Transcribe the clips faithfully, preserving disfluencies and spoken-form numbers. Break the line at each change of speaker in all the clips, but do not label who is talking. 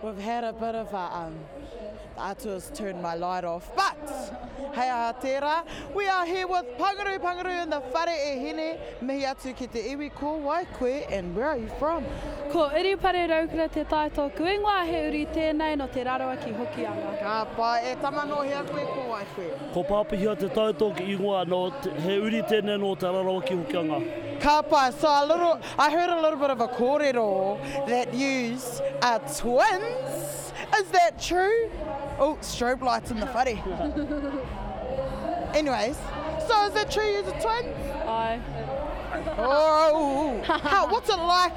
We've had a bit of a, um, the atua's turned my light off, but hei aha tērā, we are here with Panguru Panguru in the whare e hine, mihi atu ki te iwi, ko wai koe and where are you from?
Ko Urupare Raukura te tai tōku ingoa, he uri tēnei no Te Rarawa ki Hokianga.
Ka pai, e tama no hea koe, ko wai koe?
Ko Pāpihia te tai tōku ingoa, no, he uri tēnei no Te Rarawa ki Hokianga.
Ka pai, so a little, I heard a little bit of a kōrero that yous are twins. Is that true? Oh, strobe lights in the whare. Anyways, so is that true yous are twins?
Ai.
Oh, how, what's it like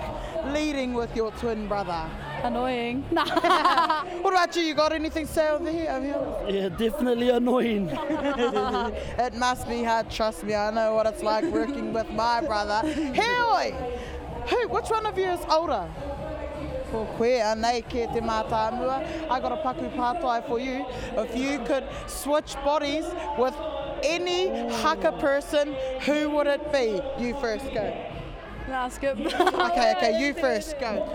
leading with your twin brother?
Annoying.
What about you? You got anything to say over here? Over here?
Yeah, definitely annoying.
It must be hard, trust me. I know what it's like working with my brother. Heoi! Who, which one of you is older? Ko koe, anei ke te mātāmua. I got a paku pātai for you. If you could switch bodies with any haka person, who would it be? You first, go.
Nah, skip.
Okay, okay, you first, go.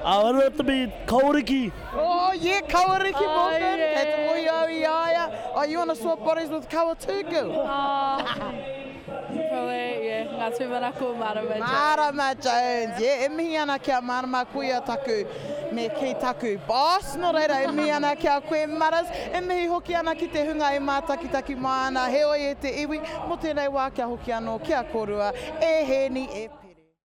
I would have to be Kawariki.
Oh, yeah, Kawariki
Oh,
Morgan.
yeah.
Kei te mohi au i a ia. Oh, you want to swap bodies with Kawa too, girl?
Oh, probably, yeah. Ngā tūmanako Marama Jones.
Marama Jones, yeah, e mihi ana kia Marama koia taku, me ki taku boss, nō reira e mihi ana kia koe Maras, e mihi hoki ana ki te hunga e mātakitaki mai ana, heoi e te iwi, mo tēnei wā kia hoki anō, kia kōrua, e hēni e Pere.